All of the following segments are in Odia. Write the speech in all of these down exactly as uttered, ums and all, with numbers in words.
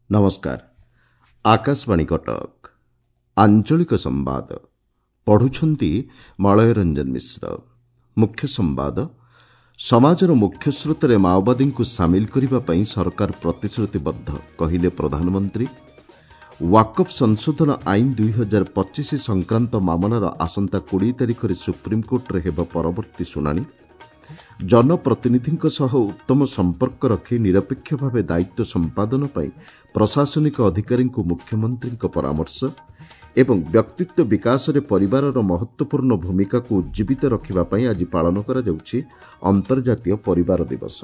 ନମସ୍କାର ଆକାଶବାଣୀ କଟକ ଆଞ୍ଚଳିକ ସମ୍ବାଦ ପଢୁଛନ୍ତି ମଳୟ ରଞ୍ଜନ ମିଶ୍ର ମୁଖ୍ୟ ସମ୍ବାଦ ସମାଜର ମୁଖ୍ୟ ସ୍ରୋତରେ ମାଓବାଦୀଙ୍କୁ ସାମିଲ କରିବା ପାଇଁ ସରକାର ପ୍ରତିଶ୍ରୁତିବଦ୍ଧ କହିଲେ ପ୍ରଧାନମନ୍ତ୍ରୀ ୱାକଫ୍ ସଂଶୋଧନ ଆଇନ ଦୁଇ ହଜାର ପଚିଶ ସଂକ୍ରାନ୍ତ ମାମଲାର ଆସନ୍ତା କୋଡ଼ିଏ ତାରିଖରେ ସୁପ୍ରିମକୋର୍ଟରେ ହେବ ପରବର୍ତ୍ତୀ ଶୁଣାଣି ଜନପ୍ରତିନିଧିଙ୍କ ସହ ଉତ୍ତମ ସମ୍ପର୍କ ରଖି ନିରପେକ୍ଷ ଭାବେ ଦାୟିତ୍ୱ ସମ୍ପାଦନ ପାଇଁ ପ୍ରଶାସନିକ ଅଧିକାରୀଙ୍କୁ ମୁଖ୍ୟମନ୍ତ୍ରୀଙ୍କ ପରାମର୍ଶ ଏବଂ ବ୍ୟକ୍ତିତ୍ୱ ବିକାଶରେ ପରିବାରର ମହତ୍ତ୍ୱପୂର୍ଣ୍ଣ ଭୂମିକାକୁ ଉଜ୍ଜୀବିତ ରଖିବା ପାଇଁ ଆଜି ପାଳନ କରାଯାଉଛି ଅନ୍ତର୍ଜାତୀୟ ପରିବାର ଦିବସ।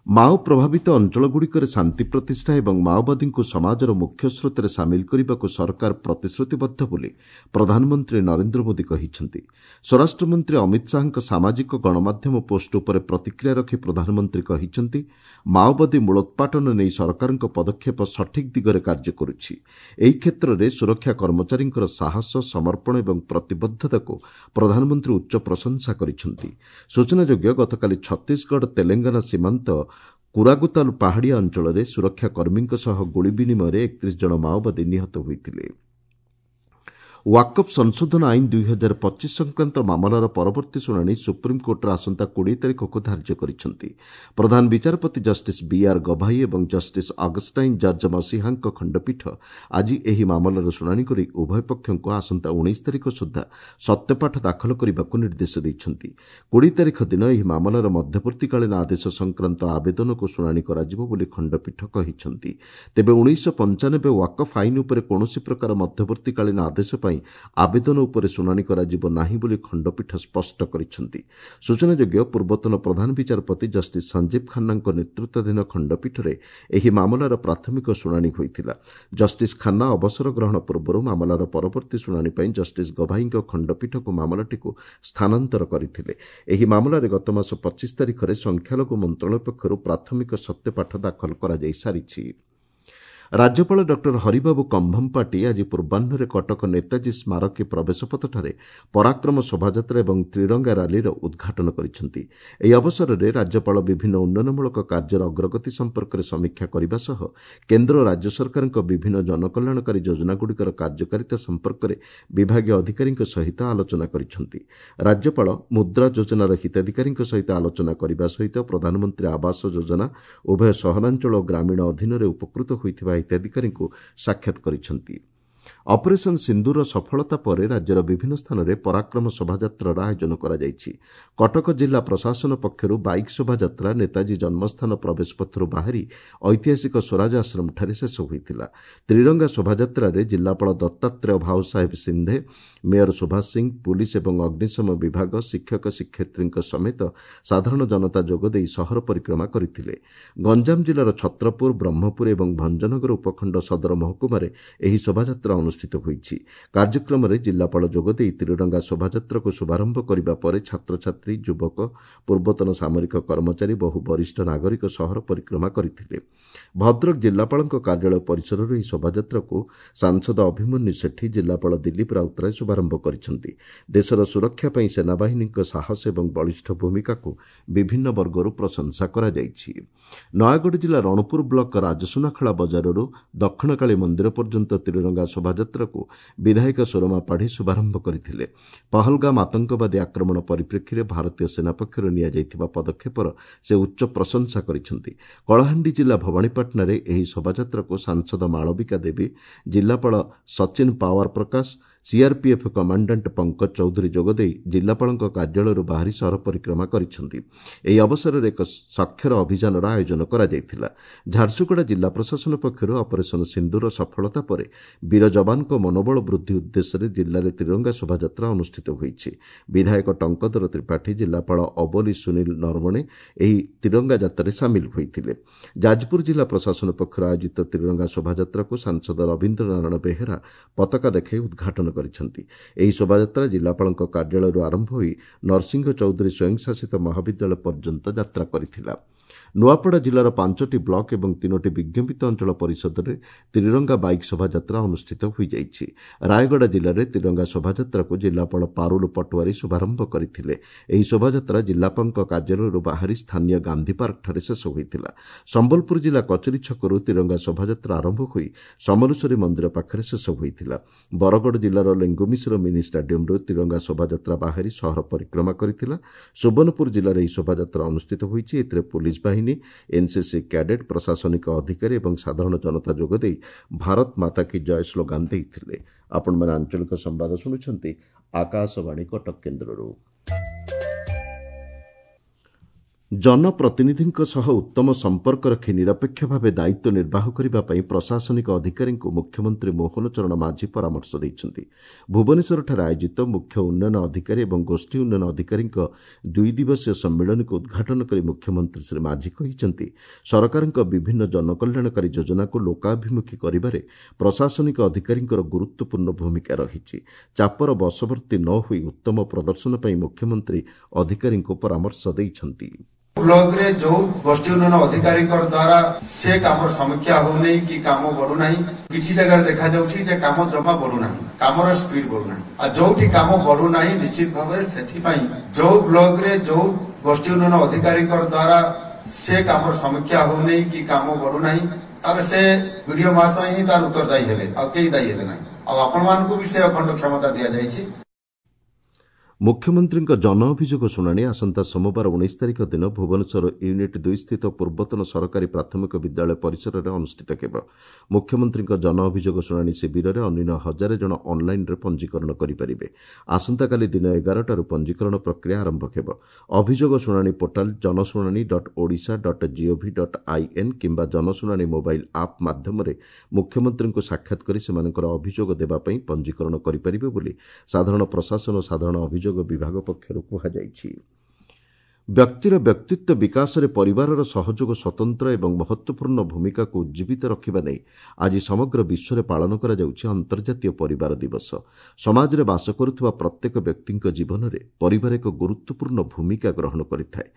ମାଓ ପ୍ରଭାବିତ ଅଞ୍ଚଳଗୁଡ଼ିକରେ ଶାନ୍ତି ପ୍ରତିଷ୍ଠା ଏବଂ ମାଓବାଦୀଙ୍କୁ ସମାଜର ମୁଖ୍ୟ ସ୍ରୋତରେ ସାମିଲ କରିବାକୁ ସରକାର ପ୍ରତିଶ୍ରୁତିବଦ୍ଧ ବୋଲି ପ୍ରଧାନମନ୍ତ୍ରୀ ନରେନ୍ଦ୍ର ମୋଦି କହିଛନ୍ତି। ସ୍ୱରାଷ୍ଟ୍ରମନ୍ତ୍ରୀ ଅମିତ ଶାହାଙ୍କ ସାମାଜିକ ଗଣମାଧ୍ୟମ ପୋଷ୍ଟ ଉପରେ ପ୍ରତିକ୍ରିୟା ରଖି ପ୍ରଧାନମନ୍ତ୍ରୀ କହିଛନ୍ତି, ମାଓବାଦୀ ମୂଳୋତ୍ପାଟନ ନେଇ ସରକାରଙ୍କ ପଦକ୍ଷେପ ସଠିକ୍ ଦିଗରେ କାର୍ଯ୍ୟ କରୁଛି। ଏହି କ୍ଷେତ୍ରରେ ସୁରକ୍ଷା କର୍ମଚାରୀଙ୍କର ସାହସ, ସମର୍ପଣ ଏବଂ ପ୍ରତିବଦ୍ଧତାକୁ ପ୍ରଧାନମନ୍ତ୍ରୀ ଉଚ୍ଚ ପ୍ରଶଂସା କରିଛନ୍ତି। ସୂଚନାଯୋଗ୍ୟ, ଗତକାଲି ଛତିଶଗଡ଼ ତେଲେଙ୍ଗାନା ସୀମାନ୍ତ କୁରାଗୁତାଲ ପାହାଡ଼ିଆ ଅଞ୍ଚଳରେ ସୁରକ୍ଷା କର୍ମୀଙ୍କ ସହ ଗୁଳି ବିନିମୟରେ ଏକତିରିଶ ଜଣ ମାଓବାଦୀ ନିହତ ହୋଇଥିଲେ। ୱାକଫ୍ ସଂଶୋଧନ ଆଇନ ଦୁଇ ହଜାର ପଚିଶ ସଂକ୍ରାନ୍ତ ମାମଲାର ପରବର୍ତ୍ତୀ ଶୁଣାଣି ସୁପ୍ରିମକୋର୍ଟରେ ଆସନ୍ତା କୋଡ଼ିଏ ତାରିଖକୁ ଧାର୍ଯ୍ୟ କରିଛନ୍ତି। ପ୍ରଧାନ ବିଚାରପତି ଜଷ୍ଟିସ୍ ବିଆର୍ ଗଭାଇ ଏବଂ ଜଷ୍ଟିସ୍ ଅଗଷ୍ଟାଇନ୍ ଜର୍ଜ ମସିହାଙ୍କ ଖଣ୍ଡପୀଠ ଆଜି ଏହି ମାମଲାର ଶୁଣାଣି କରି ଉଭୟ ପକ୍ଷଙ୍କୁ ଆସନ୍ତା ଉଣେଇଶ ତାରିଖ ସୁଦ୍ଧା ସତ୍ୟପାଠ ଦାଖଲ କରିବାକୁ ନିର୍ଦ୍ଦେଶ ଦେଇଛନ୍ତି। କୋଡ଼ିଏ ତାରିଖ ଦିନ ଏହି ମାମଲାର ମଧ୍ୟବର୍ତ୍ତୀକାଳୀନ ଆଦେଶ ସଂକ୍ରାନ୍ତ ଆବେଦନକୁ ଶୁଣାଣି କରାଯିବ ବୋଲି ଖଣ୍ଡପୀଠ କହିଛନ୍ତି। ତେବେ ଉଣେଇଶହ ପଞ୍ଚାନବେ ୱାକଫ୍ ଆଇନ ଉପରେ କୌଣସି ପ୍ରକାର ମଧ୍ୟବର୍ତ୍ତୀକାଳୀନ ଆଦେଶ ପାଇଁ ଆବେଦନ ଉପରେ ଶୁଣାଣି କରାଯିବ ନାହିଁ ବୋଲି ଖଣ୍ଡପୀଠ ସ୍ପଷ୍ଟ କରିଛନ୍ତି। ସୂଚନାଯୋଗ୍ୟ, ପୂର୍ବତନ ପ୍ରଧାନ ବିଚାରପତି ଜଷ୍ଟିସ୍ ସଞ୍ଜୀବ ଖାନ୍ନାଙ୍କ ନେତୃତ୍ୱାଧୀନ ଖଣ୍ଡପୀଠରେ ଏହି ମାମଲାର ପ୍ରାଥମିକ ଶୁଣାଣି ହୋଇଥିଲା। ଜଷ୍ଟିସ୍ ଖାନ୍ନା ଅବସର ଗ୍ରହଣ ପୂର୍ବରୁ ମାମଲାର ପରବର୍ତ୍ତୀ ଶୁଣାଣି ପାଇଁ ଜଷ୍ଟିସ୍ ଗଭାଇଙ୍କ ଖଣ୍ଡପୀଠକୁ ମାମଲାଟିକୁ ସ୍ଥାନାନ୍ତର କରିଥିଲେ। ଏହି ମାମଲାରେ ଗତମାସ ପଚିଶ ତାରିଖରେ ସଂଖ୍ୟାଲଘୁ ମନ୍ତ୍ରଣାଳୟ ପକ୍ଷରୁ ପ୍ରାଥମିକ ସତ୍ୟପାଠ ଦାଖଲ କରାଯାଇସାରିଛି। ରାଜ୍ୟପାଳ ଡକ୍ଟର ହରିବାବୁ କମ୍ଭମପାଟି ଆଜି ପୂର୍ବାହ୍ନରେ କଟକ ନେତାଜୀ ସ୍ମାରକୀ ପ୍ରବେଶପଥଠାରେ ପରାକ୍ରମ ଶୋଭାଯାତ୍ରା ଏବଂ ତ୍ରିରଙ୍ଗା ରାଲିର ଉଦ୍ଘାଟନ କରିଛନ୍ତି। ଏହି ଅବସରରେ ରାଜ୍ୟପାଳ ବିଭିନ୍ନ ଉନ୍ନୟନମୂଳକ କାର୍ଯ୍ୟର ଅଗ୍ରଗତି ସମ୍ପର୍କରେ ସମୀକ୍ଷା କରିବା ସହ କେନ୍ଦ୍ର ଓ ରାଜ୍ୟ ସରକାରଙ୍କ ବିଭିନ୍ନ ଜନକଲ୍ୟାଣକାରୀ ଯୋଜନାଗୁଡ଼ିକର କାର୍ଯ୍ୟକାରିତା ସମ୍ପର୍କରେ ବିଭାଗୀୟ ଅଧିକାରୀଙ୍କ ସହିତ ଆଲୋଚନା କରିଛନ୍ତି। ରାଜ୍ୟପାଳ ମୁଦ୍ରା ଯୋଜନାର ହିତାଧିକାରୀଙ୍କ ସହିତ ଆଲୋଚନା କରିବା ସହିତ ପ୍ରଧାନମନ୍ତ୍ରୀ ଆବାସ ଯୋଜନା ଉଭୟ ସହରାଞ୍ଚଳ ଓ ଗ୍ରାମୀଣ ଅଧୀନରେ ଉପକୃତ ହୋଇଥିବା ହିତାଧିକାରୀଙ୍କୁ ସାକ୍ଷାତ କରିଛନ୍ତି। ଅପରେସନ୍ ସିନ୍ଦୁରର ସଫଳତା ପରେ ରାଜ୍ୟର ବିଭିନ୍ନ ସ୍ଥାନରେ ପରାକ୍ରମ ଶୋଭାଯାତ୍ରାର ଆୟୋଜନ କରାଯାଇଛି। କଟକ ଜିଲ୍ଲା ପ୍ରଶାସନ ପକ୍ଷରୁ ବାଇକ୍ ଶୋଭାଯାତ୍ରା ନେତାଜୀ ଜନ୍ମସ୍ଥାନ ପ୍ରବେଶପଥରୁ ବାହାରି ଐତିହାସିକ ସ୍ୱରାଜ ଆଶ୍ରମଠାରେ ଶେଷ ହୋଇଥିଲା। ତ୍ରିରଙ୍ଗା ଶୋଭାଯାତ୍ରାରେ ଜିଲ୍ଲାପାଳ ଦତ୍ତାତ୍ରେୟ ଭାଉସାହେବ ସିନ୍ଧେ, ମେୟର ସୁଭାଷ ସିଂ, ପୁଲିସ୍ ଏବଂ ଅଗ୍ନିଶମ ବିଭାଗ, ଶିକ୍ଷକ ଶିକ୍ଷୟିତ୍ରୀଙ୍କ ସମେତ ସାଧାରଣ ଜନତା ଯୋଗଦେଇ ସହର ପରିକ୍ରମା କରିଥିଲେ। ଗଞ୍ଜାମ ଜିଲ୍ଲାର ଛତ୍ରପୁର, ବ୍ରହ୍ମପୁର ଏବଂ ଭଞ୍ଜନଗର ଉପଖଣ୍ଡ ସଦର ମହକୁମାରେ ଏହି ଶୋଭାଯାତ୍ରା ଅନୁଷ୍ଠିତ ହୋଇଛି। କାର୍ଯ୍ୟକ୍ରମରେ ଜିଲ୍ଲାପାଳ ଯୋଗଦେଇ ତ୍ରିରଙ୍ଗା ଶୋଭାଯାତ୍ରାକୁ ଶୁଭାରମ୍ଭ କରିବା ପରେ ଛାତ୍ରଛାତ୍ରୀ, ଯୁବକ, ପୂର୍ବତନ ସାମରିକ କର୍ମଚାରୀ, ବହୁ ବରିଷ୍ଠ ନାଗରିକ ସହର ପରିକ୍ରମା କରିଥିଲେ। ଭଦ୍ରକ ଜିଲ୍ଲାପାଳଙ୍କ କାର୍ଯ୍ୟାଳୟ ପରିସରରୁ ଏହି ଶୋଭାଯାତ୍ରାକୁ ସାଂସଦ ଅଭିମନ୍ୟୁ ସେଠୀ, ଜିଲ୍ଲାପାଳ ଦିଲ୍ଲୀପ ରାଉତରାୟ ଶୁଭାରମ୍ଭ କରିଛନ୍ତି। ଦେଶର ସୁରକ୍ଷା ପାଇଁ ସେନାବାହିନୀଙ୍କ ସାହସ ଏବଂ ବଳିଷ୍ଠ ଭୂମିକାକୁ ବିଭିନ୍ନ ବର୍ଗରୁ ପ୍ରଶଂସା କରାଯାଇଛି। ନୟାଗଡ଼ ଜିଲ୍ଲା ରଣପୁର ବ୍ଲକ ରାଜସୁନାଖଳା ବଜାରରୁ ଦକ୍ଷିଣକାଳୀ ମନ୍ଦିର ପର୍ଯ୍ୟନ୍ତ ତ୍ରିରଙ୍ଗା ଶୋଭାଯାତ୍ରାକୁ ବିଧାୟକ ସୁରମା ପାଢ଼ୀ ଶୁଭାରମ୍ଭ କରିଥିଲେ। ପହଲଗାମ ଆତଙ୍କବାଦୀ ଆକ୍ରମଣ ପରିପ୍ରେକ୍ଷୀରେ ଭାରତୀୟ ସେନା ପକ୍ଷରୁ ନିଆଯାଇଥିବା ପଦକ୍ଷେପର ସେ ଉଚ୍ଚ ପ୍ରଶଂସା କରିଛନ୍ତି। କଳାହାଣ୍ଡି ଜିଲ୍ଲା ଭବାନୀପାଟଣାରେ ଏହି ଶୋଭାଯାତ୍ରାକୁ ସାଂସଦ ମାଳବିକା ଦେବୀ, ଜିଲ୍ଲାପାଳ ସଚିନ ପାୱାର ପ୍ରକାଶ, ସିଆର୍ପିଏଫ୍ କମାଣ୍ଡାଣ୍ଟ ପଙ୍କଜ ଚୌଧୁରୀ ଯୋଗଦେଇ ଜିଲ୍ଲାପାଳଙ୍କ କାର୍ଯ୍ୟାଳୟରୁ ବାହାରି ସହର ପରିକ୍ରମା କରିଛନ୍ତି। ଏହି ଅବସରରେ ଏକ ସାକ୍ଷର ଅଭିଯାନର ଆୟୋଜନ କରାଯାଇଥିଲା। ଝାରସୁଗୁଡ଼ା ଜିଲ୍ଲା ପ୍ରଶାସନ ପକ୍ଷରୁ ଅପରେସନ୍ ସିନ୍ଦୁରର ସଫଳତା ପରେ ବୀର ଯବାନଙ୍କ ମନୋବଳ ବୃଦ୍ଧି ଉଦ୍ଦେଶ୍ୟରେ ଜିଲ୍ଲାରେ ତ୍ରିରଙ୍ଗା ଶୋଭାଯାତ୍ରା ଅନୁଷ୍ଠିତ ହୋଇଛି। ବିଧାୟକ ଟଙ୍କଧର ତ୍ରିପାଠୀ, ଜିଲ୍ଲାପାଳ ଅବଲି ସୁନୀଲ ନରବଣେ ଏହି ତ୍ରିରଙ୍ଗା ଯାତ୍ରାରେ ସାମିଲ ହୋଇଥିଲେ। ଯାଜପୁର ଜିଲ୍ଲା ପ୍ରଶାସନ ପକ୍ଷରୁ ଆୟୋଜିତ ତ୍ରିରଙ୍ଗା ଶୋଭାଯାତ୍ରାକୁ ସାଂସଦ ରବୀନ୍ଦ୍ର ନାରାୟଣ ବେହେରା ପତାକା ଦେଖାଇ ଉଦ୍ଘାଟନ କରିଛନ୍ତି। ଏହି ଶୋଭାଯାତ୍ରା ଜିଲ୍ଲାପାଳଙ୍କ କାର୍ଯ୍ୟାଳୟରୁ ଆରମ୍ଭ ହୋଇ ନରସିଂହ ଚୌଧୁରୀ ସ୍ୱୟଂଶାସିତ ମହାବିଦ୍ୟାଳୟ ପର୍ଯ୍ୟନ୍ତ ଯାତ୍ରା କରିଥିଲା। ନୂଆପଡ଼ା ଜିଲ୍ଲାର ପାଞ୍ଚଟି ବ୍ଲକ ଏବଂ ତିନୋଟି ବିଜ୍ଞାପିତ ଅଞ୍ଚଳ ପରିଷଦରେ ତ୍ରିରଙ୍ଗା ବାଇକ୍ ଶୋଭାଯାତ୍ରା ଅନୁଷ୍ଠିତ ହୋଇଯାଇଛି। ରାୟଗଡ଼ା ଜିଲ୍ଲାରେ ତ୍ରିରଙ୍ଗା ଶୋଭାଯାତ୍ରାକୁ ଜିଲ୍ଲାପାଳ ପାରୁଲ ପଟୁଆରୀ ଶୁଭାରମ୍ଭ କରିଥିଲେ। ଏହି ଶୋଭାଯାତ୍ରା ଜିଲ୍ଲାପାଳଙ୍କ କାର୍ଯ୍ୟାଳୟରୁ ବାହାରି ସ୍ଥାନୀୟ ଗାନ୍ଧୀ ପାର୍କଠାରେ ଶେଷ ହୋଇଥିଲା। ସମ୍ବଲପୁର ଜିଲ୍ଲା କଚେରୀ ଛକରୁ ତ୍ରିରଙ୍ଗା ଶୋଭାଯାତ୍ରା ଆରମ୍ଭ ହୋଇ ସମଲେଶ୍ୱରୀ ମନ୍ଦିର ପାଖରେ ଶେଷ ହୋଇଥିଲା। ବରଗଡ଼ ଜିଲ୍ଲାର ଲେଙ୍ଗୁମିଶ୍ର ମିନି ଷ୍ଟାଡିୟମରୁ ତ୍ରିରଙ୍ଗା ଶୋଭାଯାତ୍ରା ବାହାରି ସହର ପରିକ୍ରମା କରିଥିଲା। ସୁବର୍ଣ୍ଣପୁର ଜିଲ୍ଲାରେ ଏହି ଶୋଭାଯାତ୍ରା ଅନୁଷ୍ଠିତ ହୋଇଛି। ଏଥିରେ ପୁଲିସ୍ ବାହିନୀ, ଏନ୍ସିସି କ୍ୟାଡେଟ୍, ପ୍ରଶାସନିକ ଅଧିକାରୀ ଏବଂ ସାଧାରଣ ଜନତା ଯୋଗଦେଇ ଭାରତ ମାତା କି ଜୟ ସ୍ଲୋଗାନ ଦେଇଥିଲେ। ଆପଣମାନେ ଆଞ୍ଚଳିକ ସମ୍ବାଦ ଶୁଣୁଛନ୍ତି ଆକାଶବାଣୀ କଟକ କେନ୍ଦ୍ରରୁ। ଜନପ୍ରତିନିଧିଙ୍କ ସହ ଉତ୍ତମ ସମ୍ପର୍କ ରଖି ନିରପେକ୍ଷ ଭାବେ ଦାୟିତ୍ୱ ନିର୍ବାହ କରିବା ପାଇଁ ପ୍ରଶାସନିକ ଅଧିକାରୀଙ୍କୁ ମୁଖ୍ୟମନ୍ତ୍ରୀ ମୋହନ ଚରଣ ମାଝୀ ପରାମର୍ଶ ଦେଇଛନ୍ତି। ଭୁବନେଶ୍ୱରଠାରେ ଆୟୋଜିତ ମୁଖ୍ୟ ଉନ୍ନୟନ ଅଧିକାରୀ ଏବଂ ଗୋଷ୍ଠୀ ଉନ୍ନୟନ ଅଧିକାରୀଙ୍କ ଦୁଇ ଦିବସୀୟ ସମ୍ମିଳନୀକୁ ଉଦ୍ଘାଟନ କରି ମୁଖ୍ୟମନ୍ତ୍ରୀ ଶ୍ରୀ ମାଝୀ କହିଛନ୍ତି, ସରକାରଙ୍କ ବିଭିନ୍ନ ଜନକଲ୍ୟାଣକାରୀ ଯୋଜନାକୁ ଲୋକାଭିମୁଖୀ କରିବାରେ ପ୍ରଶାସନିକ ଅଧିକାରୀଙ୍କର ଗୁରୁତ୍ୱପୂର୍ଣ୍ଣ ଭୂମିକା ରହିଛି। ଚାପର ବଶବର୍ତ୍ତୀ ନ ହୋଇ ଉତ୍ତମ ପ୍ରଦର୍ଶନ ପାଇଁ ମୁଖ୍ୟମନ୍ତ୍ରୀ ଅଧିକାରୀଙ୍କୁ ପରାମର୍ଶ ଦେଇଛନ୍ତି। ବ୍ଲକରେ ଯୋଉ ଗୋଷ୍ଠୀ ଉନ୍ନୟନ ଅଧିକାରୀଙ୍କ ଦ୍ୱାରା ସେ କାମର ସମୀକ୍ଷା ହଉନାହିଁ କି କାମ ବଢୁନାହିଁ, କିଛି ଜାଗାରେ ଦେଖାଯାଉଛି ଯେ କାମ ଜମା ବଢୁନାହିଁ, କାମର ସ୍ପିଡ ବଢୁନାହିଁ। ଆଉ ଯୋଉଠି କାମ ବଢୁନାହିଁ ନିଶ୍ଚିତ ଭାବରେ ସେଥିପାଇଁ ଯୋଉ ବ୍ଲକରେ ଯୋଉ ଗୋଷ୍ଠୀ ଉନ୍ନୟନ ଅଧିକାରୀଙ୍କ ଦ୍ୱାରା ସେ କାମର ସମୀକ୍ଷା ହଉନାହିଁ କି କାମ ବଢୁନାହିଁ, ତାହେଲେ ସେ ବିଡିଓ ମହାଶୟ ହିଁ ତାର ଉତ୍ତରଦାୟୀ ହେବେ, ଆଉ କେହି ଦାୟୀ ହେବେ ନାହିଁ। ଆଉ ଆପଣମାନଙ୍କୁ ବି ସେ ଅଖଣ୍ଡ କ୍ଷମତା ଦିଆଯାଇଛି। ମୁଖ୍ୟମନ୍ତ୍ରୀଙ୍କ ଜନ ଅଭିଯୋଗ ଶୁଣାଣି ଆସନ୍ତା ସୋମବାର ଉଣେଇଶ ତାରିଖ ଦିନ ଭୁବନେଶ୍ୱର ୟୁନିଟ୍ ଦୁଇ ସ୍ଥିତ ପୂର୍ବତନ ସରକାରୀ ପ୍ରାଥମିକ ବିଦ୍ୟାଳୟ ପରିସରରେ ଅନୁଷ୍ଠିତ ହେବ। ମୁଖ୍ୟମନ୍ତ୍ରୀଙ୍କ ଜନ ଅଭିଯୋଗ ଶୁଣାଣି ଶିବିରରେ ଅନ୍ୟୁନ ହଜାରେ ଜଣ ଅନ୍ଲାଇନ୍ରେ ପଞ୍ଜୀକରଣ କରିପାରିବେ। ଆସନ୍ତାକାଲି ଦିନ ଏଗାରଟାରୁ ପଞ୍ଜୀକରଣ ପ୍ରକ୍ରିୟା ଆରମ୍ଭ ହେବ। ଅଭିଯୋଗ ଶୁଣାଣି ପୋର୍ଟାଲ ଜନଶୁଣାଣି dot Odisha dot gov dot in କିମ୍ବା ଜନଶୁଣାଣି ମୋବାଇଲ୍ ଆପ୍ ମାଧ୍ୟମରେ ମୁଖ୍ୟମନ୍ତ୍ରୀଙ୍କୁ ସାକ୍ଷାତ କରି ସେମାନଙ୍କର ଅଭିଯୋଗ ଦେବା ପାଇଁ ପଞ୍ଜୀକରଣ କରିପାରିବେ ବୋଲି ସାଧାରଣ ପ୍ରଶାସନ ଓ ସାଧାରଣ ଅଭିଯୋଗ ବିଭାଗ ପକ୍ଷରୁ କୁହାଯାଇଛି। ବ୍ୟକ୍ତିର ବ୍ୟକ୍ତିତ୍ୱ ବିକାଶରେ ପରିବାରର ସହଯୋଗ ସ୍ୱତନ୍ତ୍ର ଏବଂ ମହତ୍ତ୍ୱପୂର୍ଣ୍ଣ ଭୂମିକାକୁ ଉଜ୍ଜୀବିତ ରଖିବା ନେଇ ଆଜି ସମଗ୍ର ବିଶ୍ୱରେ ପାଳନ କରାଯାଉଛି ଅନ୍ତର୍ଜାତୀୟ ପରିବାର ଦିବସ। ସମାଜରେ ବାସ କରୁଥିବା ପ୍ରତ୍ୟେକ ବ୍ୟକ୍ତିଙ୍କ ଜୀବନରେ ପରିବାର ଏକ ଗୁରୁତ୍ୱପୂର୍ଣ୍ଣ ଭୂମିକା ଗ୍ରହଣ କରିଥାଏ।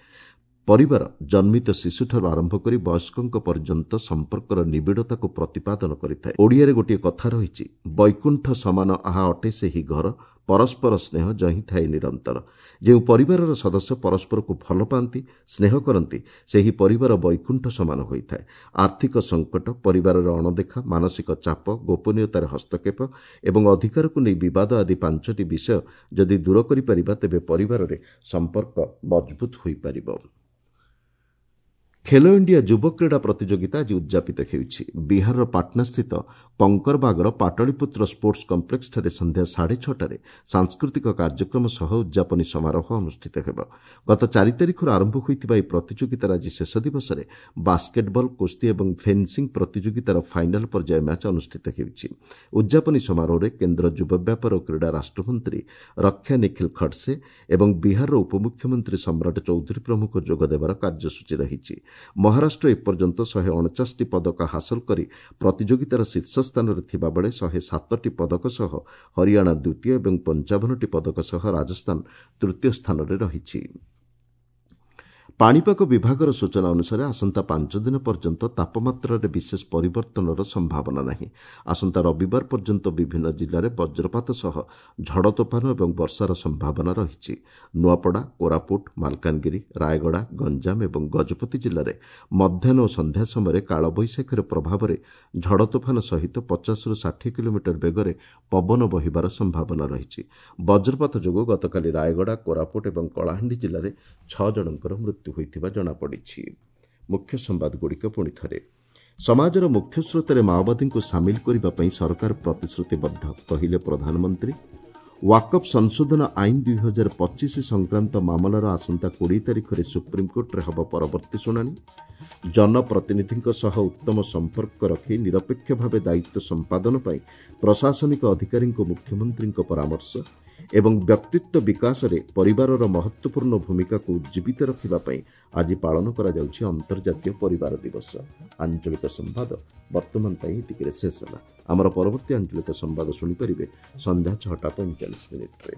ପରିବାର ଜନ୍ମିତ ଶିଶୁଠାରୁ ଆରମ୍ଭ କରି ବୟସ୍କଙ୍କ ପର୍ଯ୍ୟନ୍ତ ସମ୍ପର୍କର ନିବିଡ଼ତାକୁ ପ୍ରତିପାଦନ କରିଥାଏ। ଓଡ଼ିଆରେ ଗୋଟିଏ କଥା ରହିଛି, ବୈକୁଣ୍ଠ ସମାନ ଆହା ଅଟେ ସେହି ଘର, ପରସ୍ପର ସ୍ନେହ ଯହିଁ ଥାଏ ନିରନ୍ତର। ଯେଉଁ ପରିବାରର ସଦସ୍ୟ ପରସ୍ପରକୁ ଭଲ ପାଆନ୍ତି, ସ୍ନେହ କରନ୍ତି, ସେହି ପରିବାର ବୈକୁଣ୍ଠ ସମାନ ହୋଇଥାଏ। ଆର୍ଥିକ ସଙ୍କଟ, ପରିବାରର ଅଣଦେଖା, ମାନସିକ ଚାପ, ଗୋପନୀୟତାରେ ହସ୍ତକ୍ଷେପ ଏବଂ ଅଧିକାରକୁ ନେଇ ବିବାଦ ଆଦି ପାଞ୍ଚଟି ବିଷୟ ଯଦି ଦୂର କରିପାରିବା, ତେବେ ପରିବାରରେ ସମ୍ପର୍କ ମଜବୁତ ହୋଇପାରିବ। ଖେଲୋ ଇଣ୍ଡିଆ ଯୁବ କ୍ରୀଡ଼ା ପ୍ରତିଯୋଗିତା ଆଜି ଉଦ୍ଯାପିତ ହେଉଛି। ବିହାରର ପାଟନାସ୍ଥିତ କଙ୍କରବାଗର ପାଟଳିପୁତ୍ର ସ୍ପୋର୍ଟସ୍ କମ୍ପ୍ଲେକ୍ସଠାରେ ସନ୍ଧ୍ୟା ସାଢ଼େ ଛଅଟାରେ ସାଂସ୍କୃତିକ କାର୍ଯ୍ୟକ୍ରମ ସହ ଉଦ୍ଯାପନୀ ସମାରୋହ ଅନୁଷ୍ଠିତ ହେବ। ଗତ ଚାରି ତାରିଖରୁ ଆରମ୍ଭ ହୋଇଥିବା ଏହି ପ୍ରତିଯୋଗିତାର ଆଜି ଶେଷ ଦିବସରେ ବାସ୍କେଟବଲ୍, କୁସ୍ତି ଏବଂ ଫେନ୍ସିଂ ପ୍ରତିଯୋଗିତାର ଫାଇନାଲ୍ ପର୍ଯ୍ୟାୟ ମ୍ୟାଚ୍ ଅନୁଷ୍ଠିତ ହେଉଛି। ଉଦ୍ଯାପନୀ ସମାରୋହରେ କେନ୍ଦ୍ର ଯୁବ ବ୍ୟାପାର ଓ କ୍ରୀଡ଼ା ରାଷ୍ଟ୍ରମନ୍ତ୍ରୀ ରକ୍ଷା ନିଖିଲ ଖଡସେ ଏବଂ ବିହାରର ଉପମୁଖ୍ୟମନ୍ତ୍ରୀ ସମ୍ରାଟ ଚୌଧୁରୀ ପ୍ରମୁଖ ଯୋଗଦେବାର କାର୍ଯ୍ୟସୂଚୀ ରହିଛି। ମହାରାଷ୍ଟ୍ର ଏପର୍ଯ୍ୟନ୍ତ ଶହେ ଅଣଚାଶଟି ପଦକ ହାସଲ କରି ପ୍ରତିଯୋଗିତାର ଶୀର୍ଷ ସ୍ଥାନରେ ଥିବାବେଳେ ଶହେ ସାତଟି ପଦକ ସହ ହରିୟାଣା ଦ୍ୱିତୀୟ ଏବଂ ପଞ୍ଚାବନଟି ପଦକ ସହ ରାଜସ୍ଥାନ ତୃତୀୟ ସ୍ଥାନରେ ରହିଛି। ପାଣିପାଗ ବିଭାଗର ସୂଚନା ଅନୁସାରେ ଆସନ୍ତା ପାଞ୍ଚ ଦିନ ପର୍ଯ୍ୟନ୍ତ ତାପମାତ୍ରାରେ ବିଶେଷ ପରିବର୍ତ୍ତନର ସମ୍ଭାବନା ନାହିଁ। ଆସନ୍ତା ରବିବାର ପର୍ଯ୍ୟନ୍ତ ବିଭିନ୍ନ ଜିଲ୍ଲାରେ ବଜ୍ରପାତ ସହ ଝଡ଼ ତୋଫାନ ଏବଂ ବର୍ଷାର ସମ୍ଭାବନା ରହିଛି। ନୂଆପଡ଼ା, କୋରାପୁଟ, ମାଲକାନଗିରି, ରାୟଗଡ଼ା, ଗଞ୍ଜାମ ଏବଂ ଗଜପତି ଜିଲ୍ଲାରେ ମଧ୍ୟାହ୍ନ ଓ ସନ୍ଧ୍ୟା ସମୟରେ କାଳବୈଶାଖୀର ପ୍ରଭାବରେ ଝଡ଼ ତୋଫାନ ସହିତ ପଚାଶରୁ ଷାଠିଏ କିଲୋମିଟର ବେଗରେ ପବନ ବହିବାର ସମ୍ଭାବନା ରହିଛି। ବଜ୍ରପାତ ଯୋଗୁଁ ଗତକାଲି ରାୟଗଡ଼ା, କୋରାପୁଟ ଏବଂ କଳାହାଣ୍ଡି ଜିଲ୍ଲାରେ ଛଅ ଜଣଙ୍କର ମୃତ୍ୟୁ ହୋଇଥିବା ଜଣାପଡ଼ିଛି। ମୁଖ୍ୟ ସମ୍ବାଦଗୁଡ଼ିକ ପୁଣି ଥରେ। ସମାଜର ମୁଖ୍ୟ ସ୍ରୋତରେ ମାଓବାଦୀଙ୍କୁ ସାମିଲ କରିବା ପାଇଁ ସରକାର ପ୍ରତିଶ୍ରୁତିବଦ୍ଧ, କହିଲେ ପ୍ରଧାନମନ୍ତ୍ରୀ। ୱାକଫ୍ ସଂଶୋଧନ ଆଇନ ଦୁଇ ହଜାର ପଚିଶ ସଂକ୍ରାନ୍ତ ମାମଲାର ଆସନ୍ତା କୋଡ଼ିଏ ତାରିଖରେ ସୁପ୍ରିମକୋର୍ଟରେ ହେବ ପରବର୍ତ୍ତୀ ଶୁଣାଣି। ଜନପ୍ରତିନିଧିଙ୍କ ସହ ଉତ୍ତମ ସମ୍ପର୍କ ରଖି ନିରପେକ୍ଷ ଭାବେ ଦାୟିତ୍ୱ ସମ୍ପାଦନ ପାଇଁ ପ୍ରଶାସନିକ ଅଧିକାରୀଙ୍କୁ ମୁଖ୍ୟମନ୍ତ୍ରୀଙ୍କ ପରାମର୍ଶ। ଏବଂ ବ୍ୟକ୍ତିତ୍ୱ ବିକାଶରେ ପରିବାରର ମହତ୍ତ୍ୱପୂର୍ଣ୍ଣ ଭୂମିକାକୁ ଉଜ୍ଜୀବିତ ରଖିବା ପାଇଁ ଆଜି ପାଳନ କରାଯାଉଛି ଅନ୍ତର୍ଜାତୀୟ ପରିବାର ଦିବସ। ଆଞ୍ଚଳିକ ସମ୍ବାଦ ବର୍ତ୍ତମାନ ପାଇଁ ଏତିକିରେ ଶେଷ ହେଲା। ଆମର ପରବର୍ତ୍ତୀ ଆଞ୍ଚଳିକ ସମ୍ବାଦ ଶୁଣିପାରିବେ ସନ୍ଧ୍ୟା ଛଅଟା ପଇଁଚାଳିଶ ମିନିଟ୍ରେ।